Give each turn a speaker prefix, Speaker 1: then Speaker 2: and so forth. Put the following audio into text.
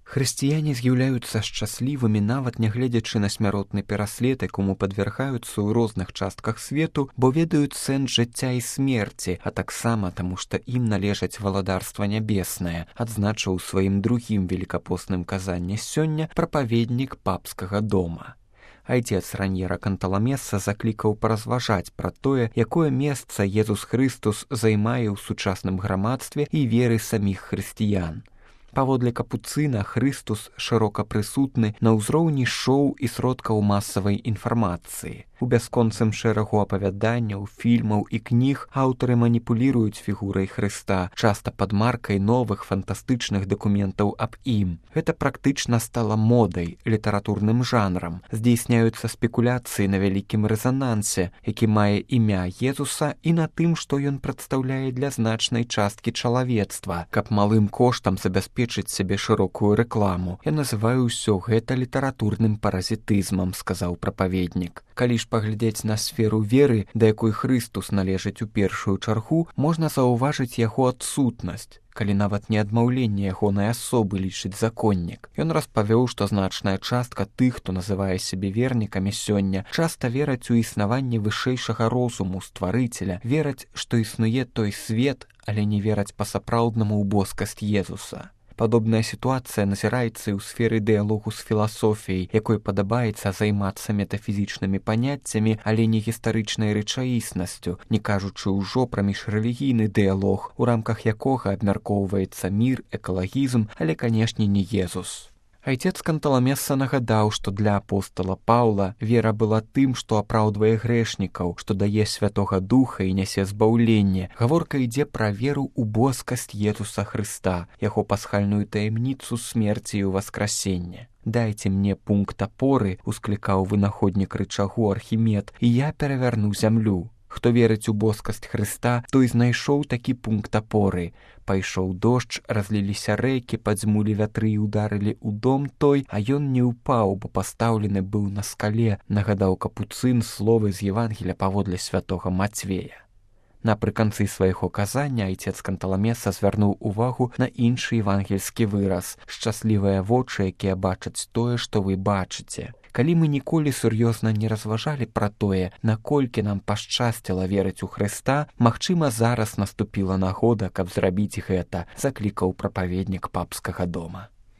Speaker 1: Хрысціяне з'яўляюцца шчаслівымі нават нягледзячы на смяротны пераслед, якому падвяргаюцца ў розных частках свету, бо ведаюць сэнс жыцця і смерці, а таксама таму, што ім належаць валадарства нябеснае, адзначыў у сваім другім велікапостным казанні сёння прапаведнік папскага дома. Айцец Раньера Канталамеса заклікаў паразважаць пра тое, якое месца Езус Хрыстус займае ў сучасным грамадстве і веры саміх хрысціян. Паводле Капуцына, Хрыстус шырока прысутны на ўзроўні шоу і сродкаў масавай інфармацыі. У бясконцым шэрагу апавяданняў, фільмаў і кніг аўтары маніпуліруюць фігурай Хрыста, часта пад маркай новых фантастычных дакументаў аб ім. Гэта практычна стала модай, літаратурным жанрам. Здзейсняюцца спекуляцыі на вялікім рэзанансе, які мае імя Езуса, і на тым, што ён прадстаўляе для значнай часткі чалавецтва, каб малым коштам забяспечыць сябе шырокую рэкламу. Я называю ўсё гэта літаратурным паразітызмам, сказаў прапаведнік. Калі ж паглядзець на сферу веры, да якой Хрыстус належыць у першую чаргу, можна заўважыць яго адсутнасць, калі нават не адмаўленне ягонай асобы лічыць законнік. Ён распавёў, што значная частка тых, хто называе сябе вернікамі сёння, часта вераць у існаванне вышэйшага розуму стварыцеля, вераць, што існуе той свет, але не вераць па-сапраўднаму ў боскасць Езуса. Падобная сітуацыя назіраецца і ў сферы дыялогу з філасофіяй, якой падабаецца займацца метафізічнымі паняццямі, але не гістарычнай рэчаіснасцю, не кажучы ўжо пра міжрэлігійны дыялог, у рамках якога абмяркоўваецца мір, экалагізм, але, канешне, не Езус. Айцец Канталамеса нагадаў, што для апостала Паўла вера была тым, што апраўдвае грэшнікаў, што дае Святога Духа і нясе збаўленне. Гаворка ідзе пра веру ў боскасць Езуса Хрыста, яго пасхальную таямніцу смерці і ўваскрасення. «Дайце мне пункт апоры», — усклікаў вынаходнік рычагу Архімед, «і я перавярну зямлю». Хто верыць у боскасць Хрыста, той знайшоў такі пункт апоры. Пайшоў дождж, разліліся рэкі, падзьмулі вятры і ударылі ў дом той, а ён не ўпаў, бо пастаўлены быў на скале, нагадаў Капуцын словы з Евангелія паводле святога Мацвея. Напрыканцы свайго казання айцец Канталамеса звярнуў увагу на іншы евангельскі выраз: «Шчаслівыя вочы, якія бачаць тое, што вы бачыце». Калі мы ніколі сур'ёзна не разважалі пра тое, наколькі нам пашчасціла верыць у Хрыста, магчыма, зараз наступіла нагода, каб зрабіць гэта, заклікаў прапаведнік папскага дома.